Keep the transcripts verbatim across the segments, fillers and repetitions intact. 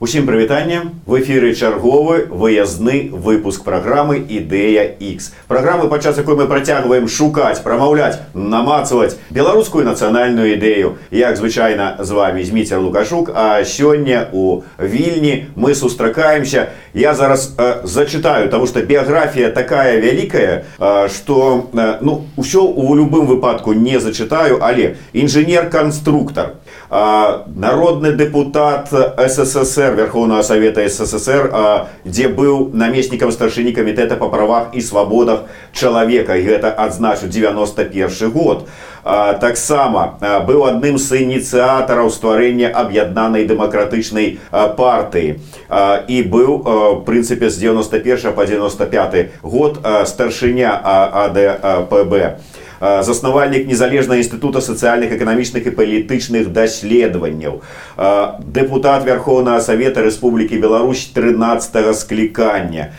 Усім прывітанне. В эфіры чарговы выязны выпуск праграмы «Ідэя Х». Праграмы, падчас якой мы працягваем шукаць, прамаўляць, намацаваць беларускую нацыянальную ідэю. Як звычайна, з вами Зміцер Лукашук, а сёння у Вільні мы сустракаемся. Я зараз э, зачитаю, потому что биография такая вялікая, э, что э, ну, усё у любым выпадку не зачитаю, але инженер-конструктор, э, народный депутат СССР, Верховного Совета СССР, где был наместником старшыні комитета по правах и свободах человека, и это адзначу девяносто первый год. Таксама быў адным з ініцыятараў стварэння аб'яднанай дэмакратычнай партыі і быў, в прынцыпе, з девяносто первого по девяносто пятый год старшыня АДПБ. Заснавальнік незалежнага інстытута сацыяльных, эканамічных і палітычных даследаванняў, дэпутат Верховнага Савета Рэспублікі Беларусь трынаццатага склікання,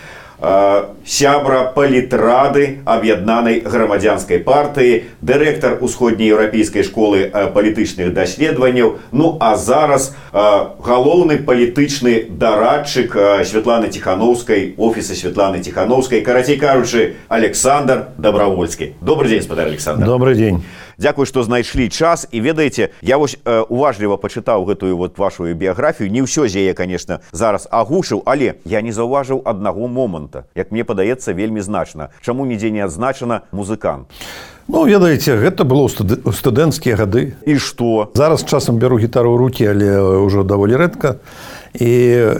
сябра палітрады аб'яднанай грамадзянскай партыі, дырэктар усходнееўрапейскай школы палітычных даследаванняў, ну а зараз галоўны палітычны дарадчык Святланы Тихановскай, офіса Святланы Тихановскай, карацей кажучы, Александр Добровольскі. Добрый день, спадар Александр. Добрый день. Дзякуй, што знайшлі час. І ведаеце, я вось э, уважліва пачытаў гэтую вот вашу біяграфію. Не ўсё з яе, конечно, зараз агушыў, але я не заўважыў аднаго моманта, як мне падаецца, вельмі значна. Чаму нідзе не адзначана музыкант? Ну, ведаеце, гэта было ў студэнцкія гады. І што? Зараз часам бяру гітару ў рукі, але ўжо даволі рэдка. І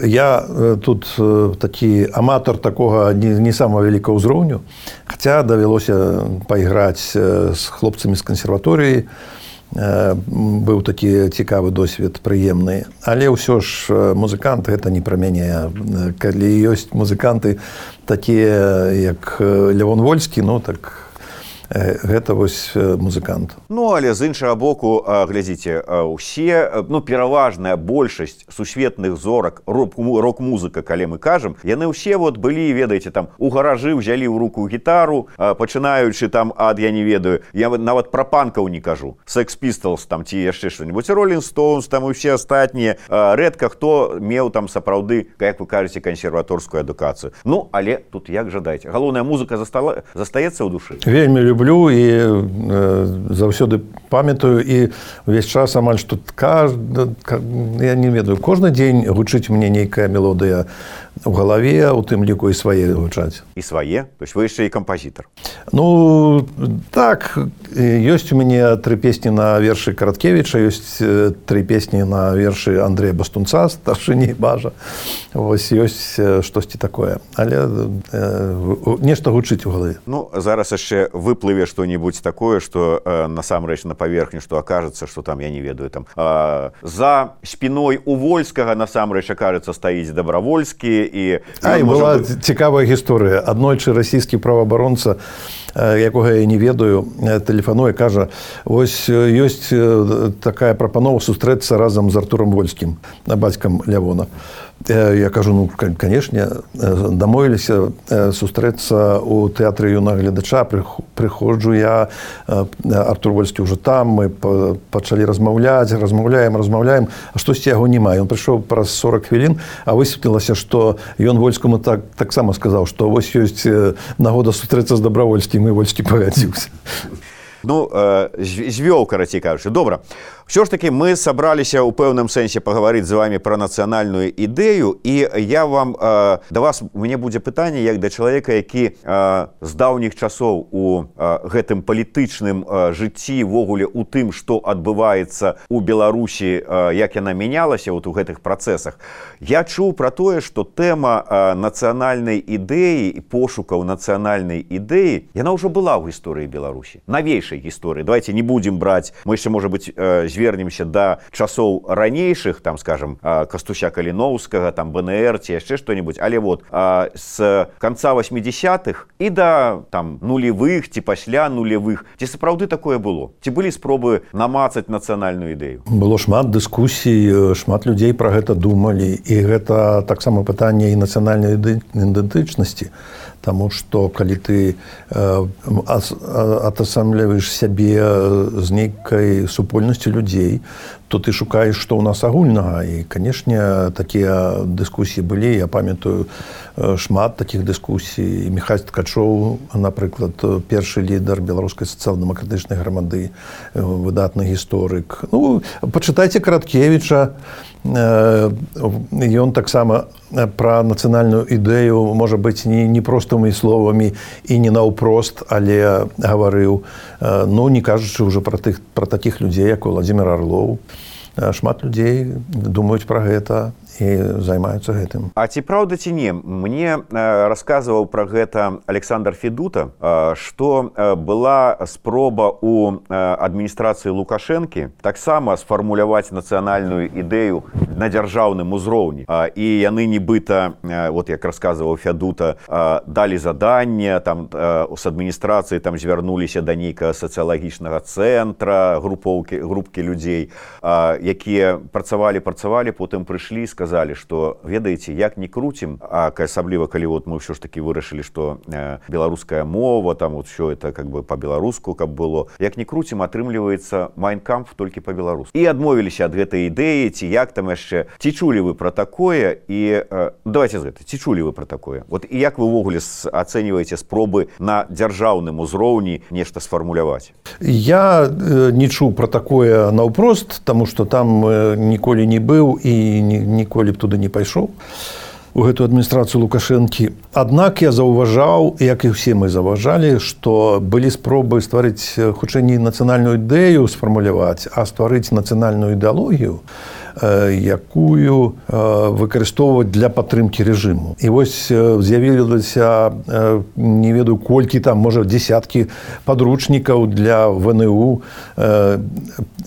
я тут такі аматар такога не, не самого вялікага ўзроўню, хаця давялося пайграць з хлопцамі з кансерваторыі. Быў такі цікавы досвед, прыемны. Але ўсё ж музыкант гэта не пра мяне. Калі ёсць музыканты такія, як Лявон Вольскі, ну так гэта вось музыкант. Ну, але з іншага боку, глядзіце, усе, ну, пераважная большасць сусветных зорак рок-музыка, калі мы кажам, яны ўсе вот былі, ведаеце, там у гаражы ўзялі ў руку гітару, пачынаючы там ад, я не ведаю, я нават пра панкаў не кажу, Sex Pistols там ці яшчэ што-нибудь, Rolling Stones там і ўсе астатнія, рэдка хто меў там сапраўды, як вы кажаце, кансерваторскую адукацыю. Ну, але тут як жадаеце, галоўная музыка застала, застаецца ў душы? Вельмі люблю і э, заўсёды памятаю, і увесь час амаль што кажд... я не ведаю, кожны дзень гучыць мне нейкая мелодыя у галаве, у тым ліку і свае гучаць. І свае? То есть вы яшчэ і кампазітар? Ну, так, ёсць у мяне тры песні на вершы Караткевіча, ёсць тры песні на вершы Андрэя Бастунца, старшыні Бажа. Вось ёсць штосьці такое. Але э, нешта гучыць у галаве. Ну, зараз яшчэ выплыве што-нибудь такое, што э, насамрэч на паверхні, што акажацца, што там, я не ведаю, там э, за спіной у Вольскага насамрэч акажацца стаіць Добравольскі. І, а, і была быць... цікавая гісторыя. Аднойчы расійскі праваабаронца, якога я не ведаю, тэлефануе, кажа, вось ёсць такая прапанова сустрэцца разам з Артурам Вольскім, бацькам Лявона. Я кажу, ну, канешне, дамовіліся сустрэцца ў тэатры юнага гледача, прыходжу я, Артур Вольскі ўжо там, мы пачалі размаўляць, размаўляем, размаўляем, а штосьці яго няма. Ён прыйшоў праз сорок хвілін, а высветлілася, што ён Вольскаму так, таксама сказаў, што вось ёсць нагода сустрэцца з Добравольскім, і Вольскі пагадзіўся. Ну, э, звёў, карацей кажучы. Добра. Все ж таки мы сабраліся ў пэўным сэнсе пагаварыць з вами пра нацыянальную ідэю, і я вам, э, да вас, у мяне будзе пытанне, як да чалавека, які э, з даўніх часоў у э, гэтым палітычным э, жыцці, ввогуле у тым, што адбываецца у Беларусі, э, як яна мянялася вот у гэтых працэсах. Я чуў пра тое, што тэма э, нацыянальнай ідэі і пошукаў нацыянальнай ідэі, яна ўжо была ў гісторыі Беларусі, навейшай гісторыі. Давайте не будзем браць, мы яшчэ, можа быць, э, звернемся да часоў ранейшых, там, скажем, Кастуся Каліноўскага, там, БНР ці яшчэ што-нибудь, але вот з канца восьмідзесятых і да там нулевых ці пасля нулевых, ці сапраўды такое было? Ці былі спробы намацаць нацыянальную ідэю? Было шмат дыскусій, шмат людзей пра гэта думалі, і гэта таксама пытанне і нацыянальнай ідэнтычнасці. Таму што калі ты атасамліваеш сябе з нейкай супольнасцю людзей, то ты шукаеш, што ў нас агульнага. І, канешне, такія дыскусіі былі. Я памятаю шмат такіх дыскусій. Міхась Ткачоў, напрыклад, першы лідар беларускай сацыял-дэмакратычнай грамады, выдатны гісторык. Ну, пачытайце Караткевіча. Ён таксама пра нацыянальную ідэю, можа быць, не, не простымі словамі і не наўпрост, але гаварыў. Ну, не кажучы ўжо пра, тых, пра такіх людзей, як Владзімір Арлоў. Шмат людзей думаюць пра гэта і займаюцца гэтым. А ці праўда ці не? Мне э, расказваў пра гэта Александр Федута, э, што э, была спроба у э, адміністрацыі Лукашэнкі таксама сфармуляваць нацыянальную ідэю на дзяржаўным узроўні. Э, і яны нібыта, э, вот як расказваў Федута, э, далі заданне, там э, з адміністрацыі там звярнуліся да нейкага сацыялагічнага цэнтра, групоўкі, групкі людзей, э, якія працавалі, працавалі, потым прыйшлі і сказалі, сказали, что, ведаеце, як не крутим, а асабліва, калі вот мы ўсё ж таки вырашылі, что э, беларуская мова, там вот все это как бы по-беларуску, каб было, як не крутим, атрымліваецца Майн кампф толькі по-беларуску. І адмовіліся ад гэтай ідэі, ці як там яшчэ, ці чулі вы пра такое, і э, давайте з гэта, ці чулі вы пра такое? Вот і як вы ўвогуле ацэньваеце спробы на дзяржаўным узроўні нешта сфармуляваць? Я э, не чуў пра такое наўпрост, таму што там э, ніколі не быў і ніколі коли б туды не пайшоў у гэту адміністрацыю Лукашэнкі. Аднак я заўважаў, як і ўсе мы заўважалі, што былі спробы стварыць хутчэй не нацыянальную ідэю сфармуляваць, а стварыць нацыянальную ідэалогію, якую выкарыстоўваць для падтрымкі рэжыму. І вось з'явілася, не ведаю колькі там, можа, дзесяткі падручнікаў для ВНУ,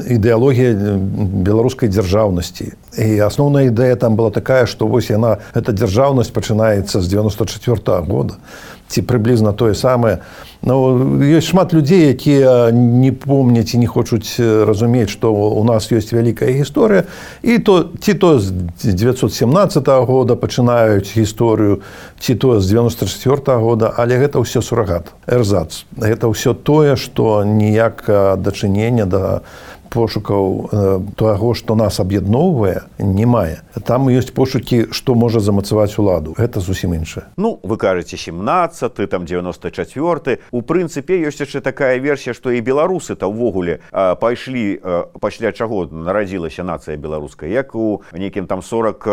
ідэалогія беларускай дзяржаўнасці. І асноўная ідэя там была такая, што вось яна, эта дзяржаўнасць пачынаецца з дзевяноста чацвёртага года, ці прыблізна тое самае. Ну, ёсць шмат людзей, якія не помняць і не хочуць разумець, што у нас ёсць вялікая гісторыя, і то, ці то з дзевяцьсот семнаццатага года пачынаюць гісторыю, ці то з дзевяноста чацвёртага года, але гэта ўсё сурагат, эрзац. Гэта ўсё тое, што ніякага дачынення да пошукаў таго, што нас аб'ядноўвае, не мае. Там ёсць пошукі, што можа замацаваць уладу. Гэта зусім іншае. Ну, вы кажаце семнадцаты, там дзевяноста чацвёрты. У прынцыпе, ёсць яшчэ такая версія, што і беларусы-то ўвогуле пайшлі, пасля чаго нарадзілася нацыя беларуская, як у нейкім там сорок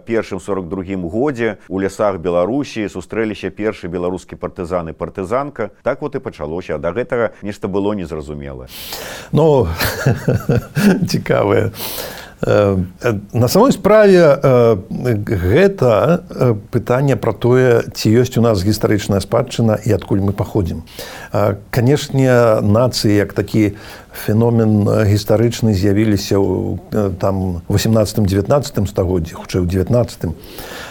першым сорок другім годзе у лясах Беларусі сустрэліся першы беларускі партызан і партызанка. Так вот і пачалося. Да гэтага нешта было незразумелае. Ну, цікавае. На самой справе гэта пытанне пра тое, ці ёсць у нас гістарычная спадчына і адкуль мы паходзім. Канешне, нацыі як такі феномен гістарычны з'явіліся ў там восемнадцатым-дзевятнаццатым стагоддзі, хутчэй у дзевятнаццатым,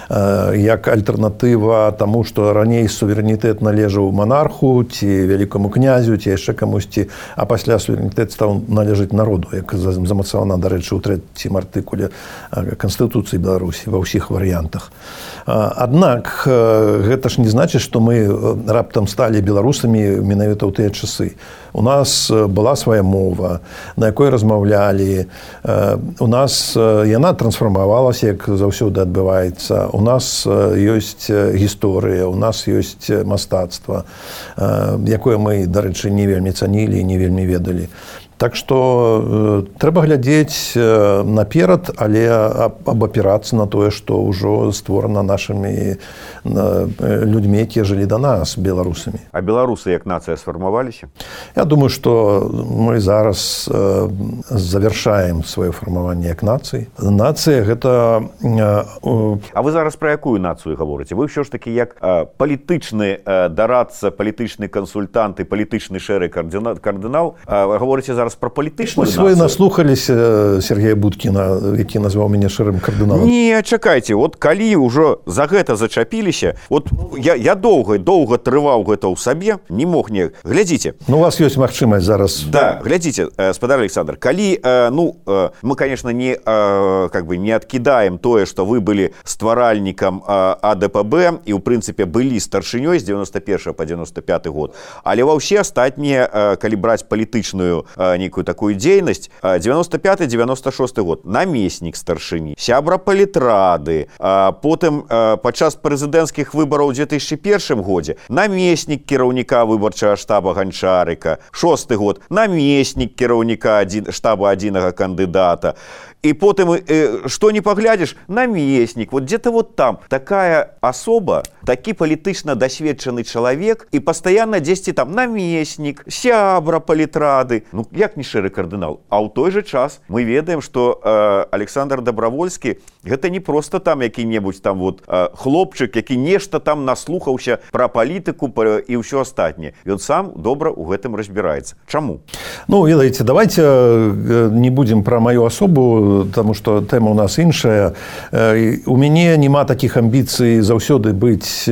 як альтэрнатыва таму, што раней суверэнітэт належаў манарху ці вялікаму князю, ці яшчэ камусьці, а пасля суверэнітэт стаў належаць народу, як замацавана, дарэчы, у трэцім артыкуле Канстытуцыі Беларусі ва ўсіх варыянтах. Аднак гэта ж не значыць, што мы раптам сталі беларусамі менавіта ў тыя часы. У нас была свая мова, на якой размаўлялі. У нас яна трансфармавалася, як заўсёды адбываецца. У нас ёсць гісторыя, у нас ёсць мастацтва, якое мы, дарэчы, не вельмі цанілі і не вельмі ведалі. Так што э, трэба глядзець э, наперад, але абапірацца на тое, што ўжо створана нашымі э, людзьмі, якія жылі да нас, беларусамі. А беларусы як нацыя сфармаваліся? Я думаю, што мы зараз э, завяршаем сваё фармаванне як нацыі. Нацыя гэта... Э, э... А вы зараз пра якую нацыю гаворыце? Вы ўсё ж такі як э, палітычны э, дарадца, палітычны кансультант і палітычны шэры кардынал э, гаворыце зараз про палітычную нацыю. Вы наслухаліся Сергея Будкіна, які назваў мяне шэрым кардыналам? Не, чакайце, вот калі ўжо за гэта зачапіліся, вот я, я доўга, доўга трываў гэта ў сабе, не мог не... Глядзіце. Ну, у вас ёсць магчымасць зараз... Да, глядзіце, спадар Александр, калі, ну, мы, конечно, не, как бы, не адкідаем тое, што вы былі стваральнікам А Д П Б і, ў прынцыпе, былі старшынёй з дзевяноста першага па дзевяноста пяты год, але ва ўсе астатнія, калі браць палітычную нейкую такую дзейнасць. девяносто пятый девяносто шосты год. Намеснік старшыні, сябра палітрады, потым падчас прэзідэнцкіх выбараў у две тысячи первом годзе намеснік кіраўніка выбарчага штаба Ганчарыка, шосты год намеснік кіраўніка штаба адзінага кандыдата. И потом, э, что не поглядишь, наместник, вот где-то вот там. Такая особа, таки политично досведченный человек, и постоянно десять там наместник, сябра палітрады. Ну, як не шэры кардынал. А ў той же час мы ведаем, что э, Александр Добровольскі гэта не просто там які-небудзь там вот э, хлопчык, які нешта там наслухаўся про палітыку про, і ўсё астатняе. Ён сам добра ў гэтым разбіраецца. Чаму? Ну, ведаеце, давайте не будем про мою особу, потому что тема у нас іншая. У мяне няма таких амбіцый заўсёды быць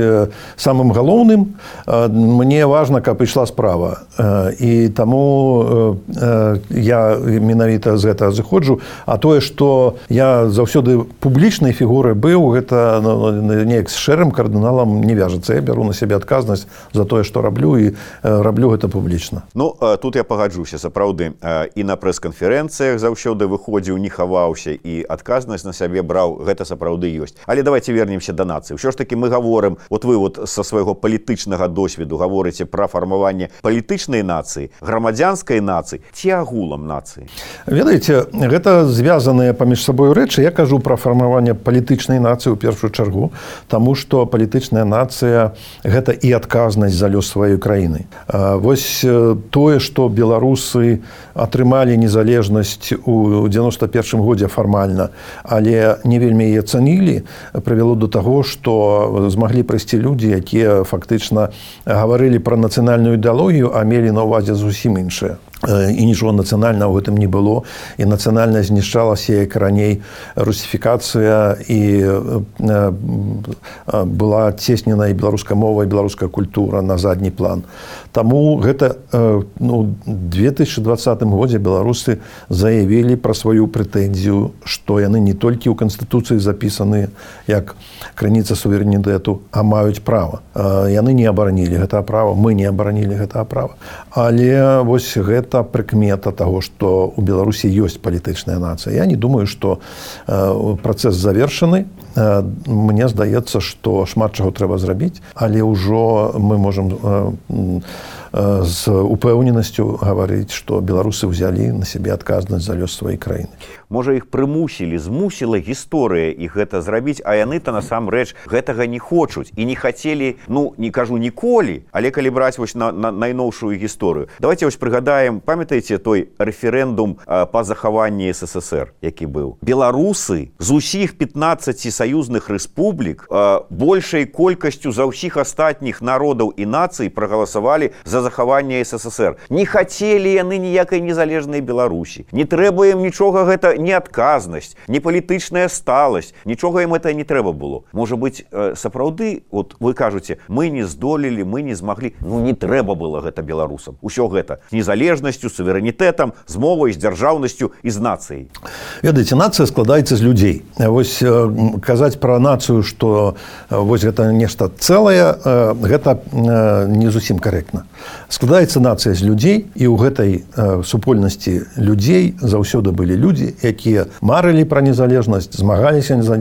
самым галоўным. Мне важна, каб ішла справа. І таму я менавіта з гэтага зыходжу. А тое, што я заўсёды публічнай фігурай быў, гэта неяк з шэрым кардыналам не вяжацца. Я бяру на сябе адказнасць за тое, што раблю, і раблю гэта публічна. Ну, тут я пагаджуся, сапраўды. І на прэс-канферэнцыях заўсёды выходзіў, не хаваўся, і адказнасць на сябе браў, гэта сапраўды ёсць. Але давайте вернемся да нацыі. Ўсё ж таки мы гаворым, вот вы вот са свайго палітычнага досведу гаворыце пра фармаванне палітычнай нацыі, грамадзянскай нацыі ці агулам нацыі. Ведаеце, гэта звязаныя паміж сабой рэчы. Я кажу пра фармаванне палітычнай нацыі ў першую чаргу, таму што палітычная нацыя гэта і адказнасць за лёс сваёй краіны. Вось тое, што беларусы атрымалі незалежнасць у девяносто первом годзе фармальна, але не вельмі яе цанілі, прывяло до таго, што змаглі прыйсці людзі, якія фактычна гаварылі пра нацыянальную ідэалогію, а мелі на ўвазе зусім іншае. І нічого нацыянальнага ў гэтым не было, і нацыянальна знішчалася, як раней русіфікацыя, і была цеснена і беларуская мова, і беларуская культура на задні план. Таму гэта ну, две тысячи двадцатым годзе беларусы заявілі пра сваю прэтэнзію, што яны не толькі ў Канстытуцыі запісаны як крыніца суверэнітэту, а маюць права. Яны не абаранілі гэтае права, мы не абаранілі гэтае права. Але вось гэта прыкмета таго, што ў Беларусі ёсць палітычная нацыя. Я не думаю, што працэс завершаны. Мне здаецца, што шмат чаго трэба зрабіць, але ўжо мы можам з упэўненасцю гаварыць, што беларусы ўзялі на сябе адказнасць за лёс сваёй краіны. Можа, іх прымусілі, змусіла гісторыя іх гэта зрабіць, а яны-то насамрэч гэтага не хочуць і не хацелі, ну, не кажу ніколі, але калі браць вось на, на найноўшую гісторыю. Давайте вось прыгадаем, памятаеце той рэферэндум па захаванні СССР, які быў? Беларусы з усіх пятнаццаці саюзных рэспублік большай колькасцю за ўсіх астатніх народаў і нацый прагаласавалі за захаванне СССР. Не хацелі яны ніякай незалежнай Беларусі. Не трэба ім нічога гэта, не адказнасць, не палітычная сталасць. Нічога ім гэта не трэба было. Можа быць, сапраўды, вот вы кажуце, мы не здолелі, мы не змаглі. Ну, не трэба было гэта беларусам. Усё гэта з незалежнасцю, суверэнітэтам, з мовай, з дзяржаўнасцю і з нацыяй. Ведаеце, нацыя складаецца з людзей. Вось казаць пра нацыю, што вось гэта нешта цэлае, гэта не зусім карэктна. Складаецца нацыя з людзей, і ў гэтай супольнасці людзей заўсёды былі людзі, якія марылі пра незалежнасць, змагаліся за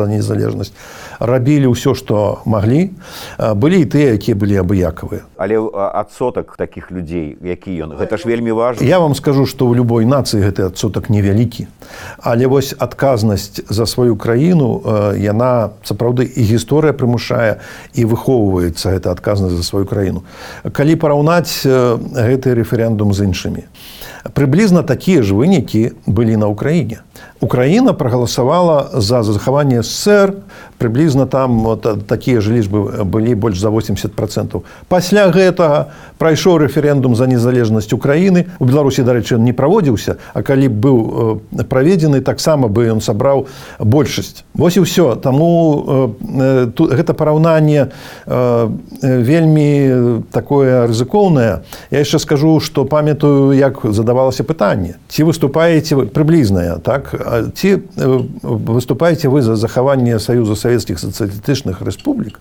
незалежнасць, рабілі ўсё, што маглі. Былі і тыя, якія былі абыякавыя. Але адсотак такіх людзей, які ён? Гэта ж вельмі важна. Я вам скажу, што ў любой нацыі гэты адсотак невялікі. Але вось адказнасць за сваю краіну, яна сапраўды і гісторыя прымушае, і выхоўваецца гэта адказнасць за сваю краіну. Калі параўнаць гэты рэферэндум з іншымі, прыблізна такія ж вынікі былі на Ўкраіне. Украіна прагаласавала за захаванне СССР, прыблізна там вот, такія ж лічбы былі больш за восемьдесят процентов. Пасля гэтага прайшоў рэферэндум за незалежнасць Украіны. У Беларусі, дарэчы, не праводзіўся, а калі быў праведзены, таксама бы ён сабраў большасць. Вось і ўсё. Таму э, тут, гэта параўнанне э, вельмі такое рызыкоўнае. Я яшчэ скажу, што памятаю, як задавалася пытанне. Ці выступаеце вы, прыблізнае, так? Ці выступаеце вы за захаванне Саюза Савецкіх сацыялістычных рэспублік?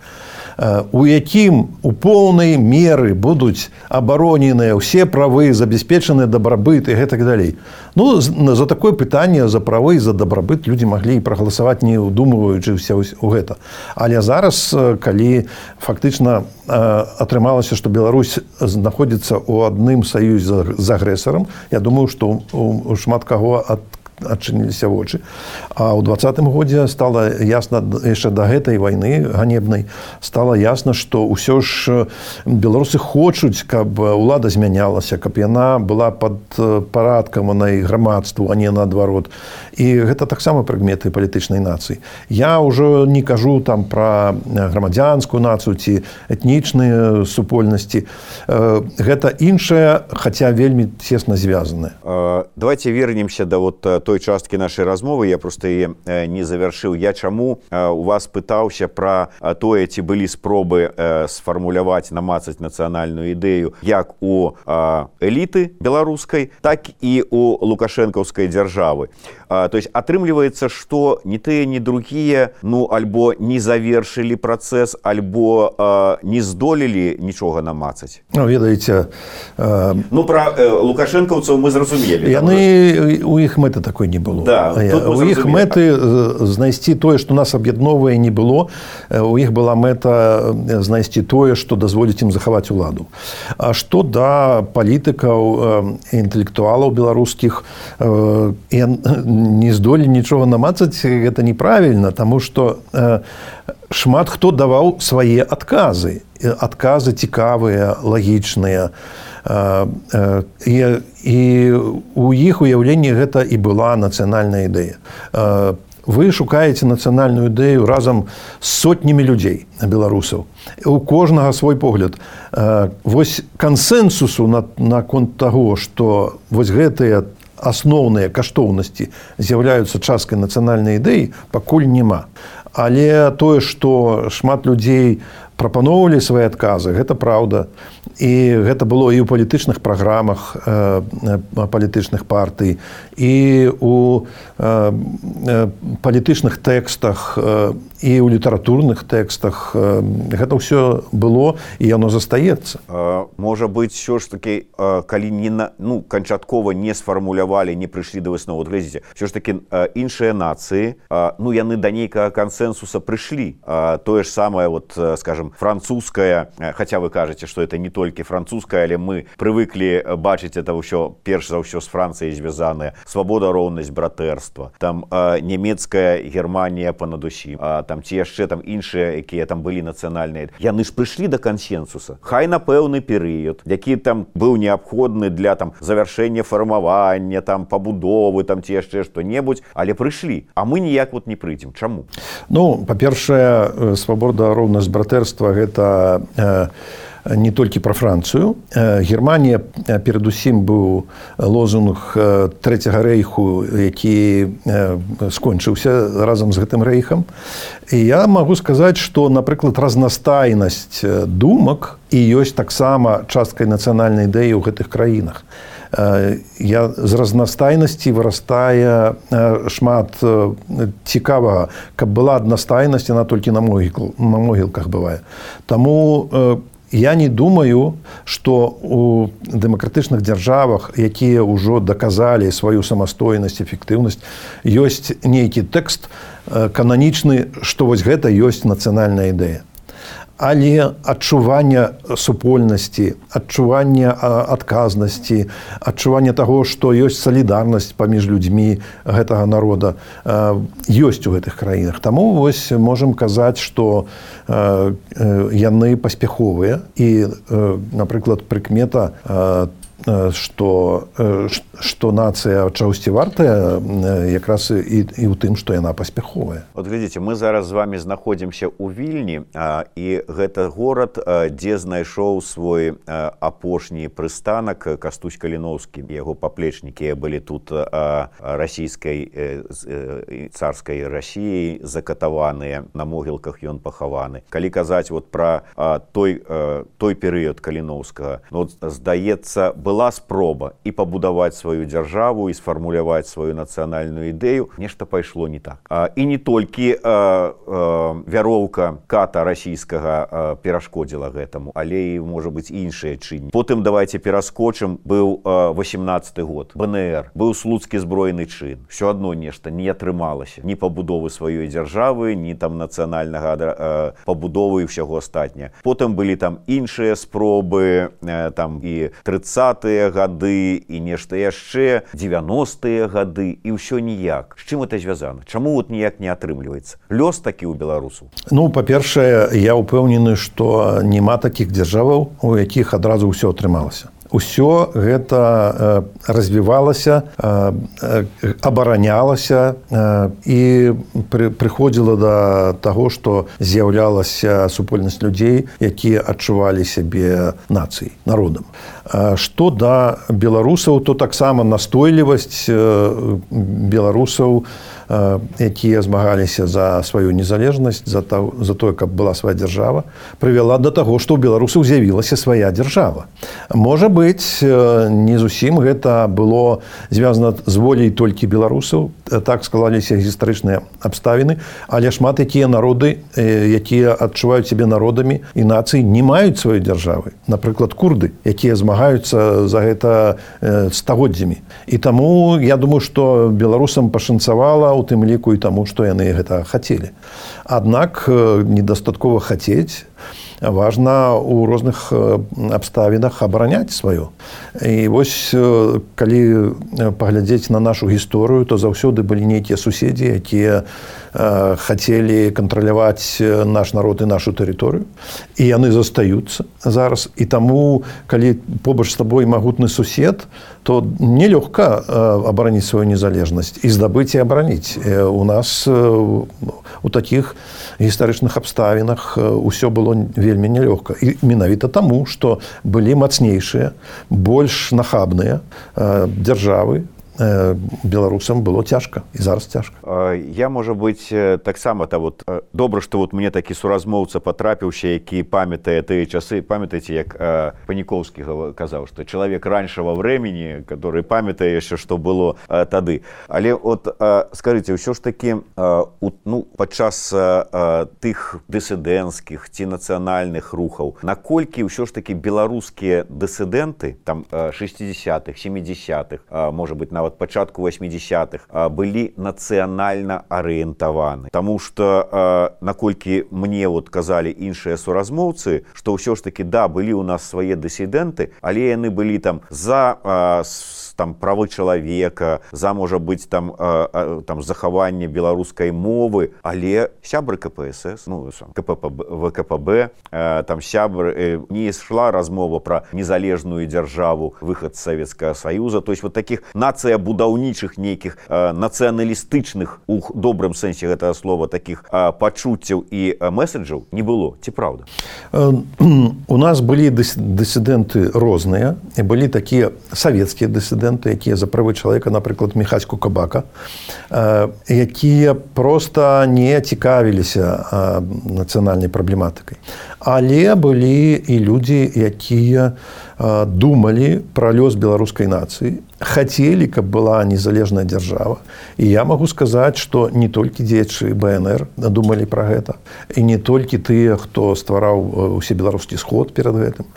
у якім у поўнай меры будуць абароненыя ўсе правы, забяспечаны дабрабыт і гэтак далей. Ну, за такое пытанне, за правы і за дабрабыт людзі маглі і прагаласаваць, не ўдумваючыся ў гэта. Але зараз, калі фактычна атрымалася, што Беларусь знаходзіцца ў адным саюзе з агрэсарам, я думаю, што у шмат каго ад адчыніліся вочы. А ў двадцатым годзе стала ясна, яшчэ да гэтай вайны ганебнай, стала ясна, што ўсё ж беларусы хочуць, каб улада змянялася, каб яна была пад парадкаванай грамадству, а не наадварот. І гэта таксама прыкметы палітычнай нацыі. Я ўжо не кажу там пра грамадзянскую нацыю ці этнічныя супольнасці. Гэта іншае, хаця вельмі цесна звязанае. Давайте вернемся да вот той часткі нашай размовы, я просто яе не завяршыў. Я чаму у вас пытаўся пра тое, ці былі спробы сфармуляваць, намацаць нацыянальную ідэю як у эліты беларускай, так і у лукашэнкаўскай дзяржавы. То есть атрымліваецца, што ні тыя, ні другія, ну, альбо не завершылі працэс, альбо не здолелі нічога намацаць. Ну, ведаеце... Ну, пра лукашэнкаўцаў мы зразумелі. Яны, у іх мэты такой не было. Да, у іх мэты знайсці тое, што нас аб'ядноўвае, не было. У іх была мэта знайсці тое, што дазволіць ім захаваць уладу. А што да палітыкаў, інтэлектуалаў беларускіх, не здолелі нічога намацаць, гэта неправільна, таму што шмат хто даваў свае адказы. Адказы цікавыя, лагічныя. І, і у іх уяўленні гэта і была нацыянальная ідэя. Вы шукаеце нацыянальную ідэю разам з сотнямі людзей, беларусаў. У кожнага свой погляд. Вось кансэнсусу наконт таго, што вось гэтыя асноўныя каштоўнасці з'яўляюцца часткай нацыянальнай ідэі, пакуль няма. Але тое, што шмат людзей прапаноўвалі свае адказы, гэта праўда. І гэта было і ў палітычных праграмах э, палітычных партый, і ў э, палітычных тэкстах, э, і ў літаратурных тэкстах. Э, гэта ўсё было, і яно застаецца. А, можа быць, ўсё ж такі, калі не на, ну, канчаткова не сфармулявалі, не прыйшлі да высновы, глядзіце, ўсё ж такі іншыя нацыі, ну, яны да нейкага кансэнсуса прыйшлі. Тое ж самае, вот, скажем, французская, хаця вы кажаце, што это не толькі французская, але мы прывыклі бачыць это ўсё, перш за ўсё, з Францыяй звязанае. Свабода, роўнасць, братэрства. Там э, нямецкая Германія понад усім. А, там ці яшчэ там іншыя, якія там былі нацыянальныя. Яны ж прыйшлі да кансенсуса. Хай на пэўны перыяд, які там быў неабходны для там завяршэння фармавання, там пабудовы, там ці яшчэ што-небудзь, але прыйшлі. А мы ніяк вот не прыйдзем. Чаму? Ну, па-першае, свабода, роўнасць, братэрства гэта э, не толькі пра Францыю. Германія перадусім быў лозунг Трэцяга рэйху, які скончыўся разам з гэтым рэйхам. І я магу сказаць, што, напрыклад, разнастайнасць думак і ёсць таксама часткай нацыянальнай ідэі ў гэтых краінах. Я, з разнастайнасці вырастае шмат цікавага. Каб была аднастайнасць, яна толькі на могіл, на могілках бывае. Таму я не думаю, што у дэмакратычных дзяржавах, якія ўжо даказалі сваю самастойнасць, эфектыўнасць, ёсць нейкі тэкст кананічны, што вось гэта ёсць нацыянальная ідэя. Але адчування супольнасці, адчування адказнасці, адчування таго, што ёсць салідарнасць паміж людзьмі гэтага народа, ёсць у гэтых краінах. Таму вось можам казаць, што яны паспяховыя. І, напрыклад, прыкмета, што, што нацыя чагосьці вартая, якраз і, і ў тым, што яна паспяховая. Вот глядзіце, мы зараз з вами знаходзімся ў Вільні, а, і гэта горад, а, дзе знайшоў свой а, апошні прыстанак Кастусь Каліноўскі. Яго паплечнікі былі тут а, расійскай э, царскай Расіяй закатаваныя, на могілках ён пахаваны. Калі казаць вот пра а, той, а, той перыяд Каліноўскага, ну, вот, здаецца, была спроба і пабудаваць сваю дзяржаву, і сфармуляваць сваю нацыянальную ідэю, нешта пайшло не так. А, і не толькі а, а, вяроўка ката расійскага перашкодзіла гэтаму, але і, можа быць, іншыя чыннікі. Потым давайте пераскочым, быў восемнадцаты год, бэ эн эр, быў слуцкі збройны чын. Всё адно нешта не атрымалася. Ні пабудовы сваёй дзяржавы, ні там нацыянальнага пабудовы і ўсяго астатняга. Потым былі там іншыя спробы, там і трыццатыя гады, і нешта яшчэ, дзевяностыя гады, і ўсё ніяк. З чым гэта звязана? Чаму вот ніяк не атрымліваецца? Лёс такі ў беларусаў? Ну, па-першае, я ўпэўнены, што няма такіх дзяржаваў, у якіх адразу ўсё атрымалася. Усё гэта развівалася, абаранялася і прыходзіла да таго, што з'яўлялася супольнасць людзей, якія адчувалі сябе нацыяй, народам. Што да беларусаў, то таксама настойлівасць беларусаў, якія змагаліся за сваю незалежнасць, за тое, каб была свая дзяржава, прывяла да таго, што ў беларусаў з'явілася свая дзяржава. Можа быць, не зусім гэта было звязана з воляй толькі беларусаў, так склаліся гістарычныя абставіны, але шмат якія народы, якія адчуваюць сябе народамі і нацыі, не маюць сваёй дзяржавы. Напрыклад, курды, якія змагаюцца за гэта стагоддзямі. І таму я думаю, што беларусам пашанцавала, у тым ліку і таму, што яны гэта хацелі. Аднак недастаткова хацець, важна ў розных абставінах абараняць сваё. І вось, калі паглядзець на нашу гісторыю, то заўсёды былі нейкія суседзі, якія хацелі кантраляваць наш народ і нашу тэрыторыю. І яны застаюцца зараз. І таму, калі побач з табой магутны сусед, то нелёгка абараніць сваю незалежнасць і здабыць і абараніць. У нас у такіх гістарычных абставінах усё было вельмі нелёгка. І менавіта таму, што былі мацнейшыя, больш нахабныя дзяржавы, беларусам было цяжка, і зараз цяжка. Я, можа быць, таксама та вот добра, што вот мне такі суразмоўца патрапіўся, які памятае тыя часы. Памятаеце, як Паніковскі казаў, што чалавек раньшага времени, который памятае яшчэ, што было тады. Але от скажыце, ўсё ж такі, ну, падчас тых дысідэнцкіх ці нацыянальных рухаў, наколькі ўсё ж такі беларускія дысідэнты, там шэсцідзясятых, сямідзясятых, можа быць, нават пачатку восьмідзясятых, былі нацыянальна арыентаваны. Таму што, наколькі мне вот казалі іншыя суразмоўцы, што ўсё ж такі, да, былі ў нас свае дысідэнты, але яны былі там за там правы чалавека, за, можа быць, там, там захаванне беларускай мовы, але сябры ка пэ эс эс, ну, вэ ка пэ бэ, там сябры, не ішла размова пра незалежную дзяржаву, выхад з Савецкага Саюза, то есть вот таких нацыябудаўнічых нейкіх нацыяналістычных, у добрым сэнсе гэтага слова, такіх пачуццяў і месседжаў не было, ці праўда? У нас былі дысідэнты розныя, і былі такія савецкія дысідэнты, якія за правы чалавека, напрыклад, Міхась Кукабака, якія проста не цікавіліся нацыянальнай праблематыкай. Але былі і людзі, якія думалі пра лёс беларускай нацыі, хацелі, каб была незалежная дзяржава. І я магу сказаць, што не толькі дзеячы бэ эн эр думалі пра гэта, і не толькі тыя, хто ствараў усебеларускі сход перад гэтым.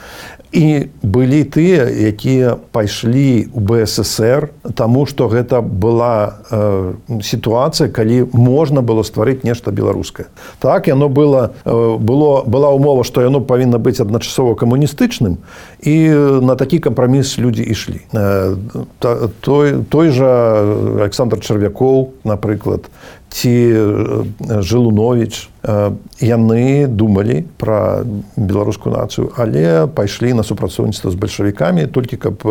І былі тыя, якія пайшлі ў бэ эс эс эр, таму што гэта была э, сітуацыя, калі можна было стварыць нешта беларускае. Так, яно было, э, было, была умова, што яно павінна быць адначасова камуністычным, і на такі кампраміс людзі ішлі. Э, той, той жа Александр Чарвякоў, напрыклад, ці Жылунович, яны думалі пра беларускую нацыю, але пайшлі на супрацоўніцтва з бальшавікамі, толькі каб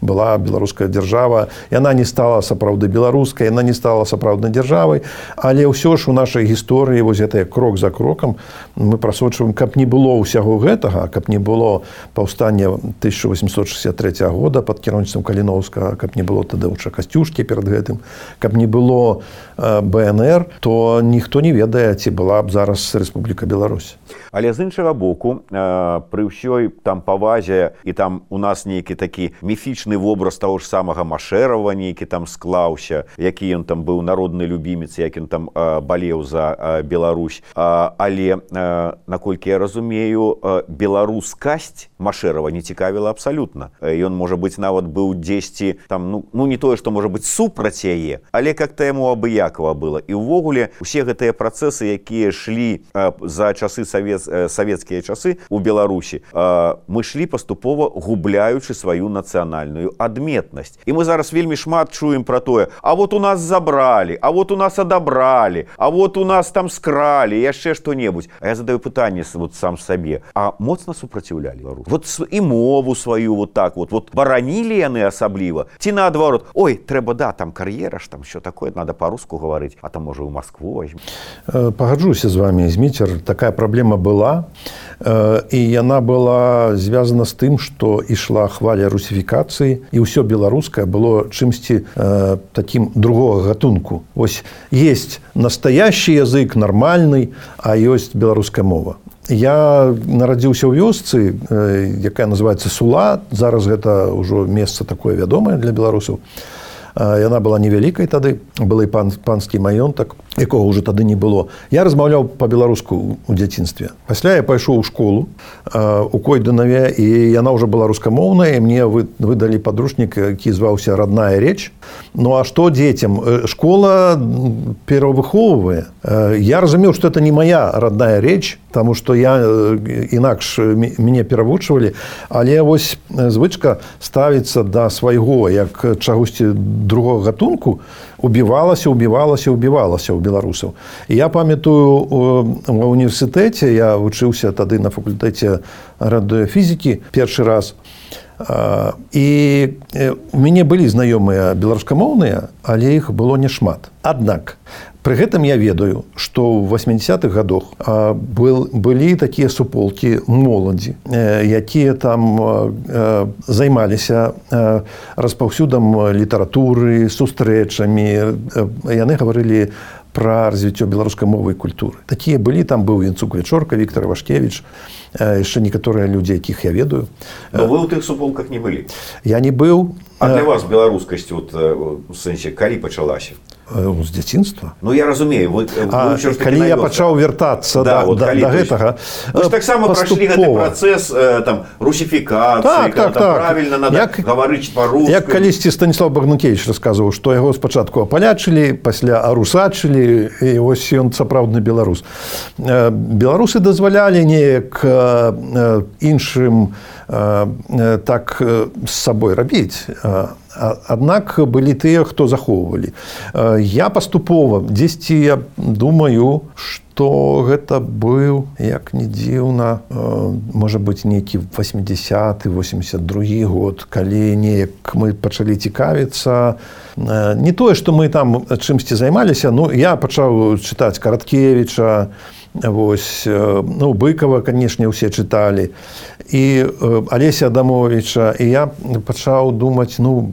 была беларуская дзяржава. Яна не стала сапраўды беларускай, яна не стала сапраўднай дзяржавай, але ўсё ж у нашай гісторыі вось гэта крок за крокам мы прасочваем, каб не было ўсяго гэтага, каб не было паўстання тысяча восемьсот шестьдесят третьего года пад кіраўніцтвам Каліноўскага, каб не было Тадэўча Касцюшкі перад гэтым, каб не было бэ эн ДНР, то ніхто не ведае, ці была б зараз Рэспубліка Беларусь. Але з іншага боку, пры ўсёй там павазе, і там у нас нейкі такі міфічны вобраз таго ж самага Машэрава нейкі там склаўся, які ён там быў народны любімец, як ён там балеў за Беларусь. Але, наколькі я разумею, беларускасць Машэрава не цікавіла абсалютна. Ён, можа быць, нават быў дзесьці там, ну, ну не тое, што можа быць супраць яе, але как-то яму абыякова было. І ўвогуле усе гэтыя працэсы, якія шлі за часы савет савецкія часы у Беларусі, мы шлі паступова губляючы сваю нацыянальную адметнасць. І мы зараз вельмі шмат чуем пра тое: а вот у нас забралі, а вот у нас адабралі, а вот у нас там скралі, яшчэ што-небудзь. А я задаю пытанне вот сам сабе: а моцна супраціўлялі Беларусь? Вот і мову сваю вот так вот, вот баранілі яны асабліва? Ці наадварот: ой, трэба, да, там кар'ера ж, там що такое, надо па-руску гаварыць, а там можа ў Маскву возьмем. Пагаджуся з вами, Зміцер, такая праблема была. Была, і яна была звязана з тым, што ішла хваля русіфікацыі, і ўсё беларускае было чымсьці э, такім другога гатунку. Вось есть настоящий язык, нармальны, а ёсць беларуская мова. Я нарадзіўся ў вёсцы, э, якая называецца Сула. Зараз гэта ўжо месца такое вядомае для беларусаў. Яна была невялікай тады, былы пан, панскі маёнтак, якога ўжо тады не было. Я размаўляў па-беларуску ў дзяцінстве. Пасля я пайшоў у школу у Койданаве, і яна ўжо была рускамоўная, і мне выдалі падручнік, які зваўся «Родная речь». Ну а што дзецям? Школа перавыхоўвае. Я разумеў, што это не моя родная речь, таму што я інакш мяне перавучвалі, але вось звычка ставіцца да свайго, як чагосьці другого гатунку, убівалася, убівалася, убівалася ў беларусаў. І я памятаю, ва універсітэце, я вучыўся тады на факультэце радыёфізікі першы раз, і у мяне былі знаёмыя беларускамоўныя, але іх было няшмат. Аднак, пры гэтым я ведаю, што ў восьмідзесятых гадах былі такія суполкі моладзі, якія там займаліся распаўсюдам літаратуры, сустрэчамі. Яны гаварылі пра развіццё беларускай мовы і культуры. Такія былі, там быў Янцук Вечорка, Віктор Вашкевіч, яшчэ некаторыя людзі, якіх я ведаю. Но вы ў тых суполках не былі? Я не быў. А для вас беларускасць, вот, у сэнсе, калі пачалася? З дзяцінства. Ну, я разумею. Вы, а, вы калі я пачаў вяртацца да, да, вот, да, да гэтага, вы ж таксама прайшлі гэты працэс там, русіфікацыі, так, так, так. правільна надо як, гаварыць па-руску. Як калісьці Станіслав Багнукевіч расказваў, што яго спачатку апалячылі, пасля арусачылі, і вось ён сапраўдны беларус. Беларусы дазвалялі неяк іншым так з сабой рабіць. Аднак былі тыя, хто захоўвалі. Я паступова, дзесьці я думаю, што гэта быў, як не дзіўна, можа быць, нейкі восьмідзесяты восемьдесят другі год, калі неяк мы пачалі цікавіцца. Не тое, што мы там чымсьці займаліся, ну, я пачаў чытаць Караткевіча, вось, ну, Быкова, канешне, усе чыталі, і Алеся Адамовіча, і я пачаў думаць, ну,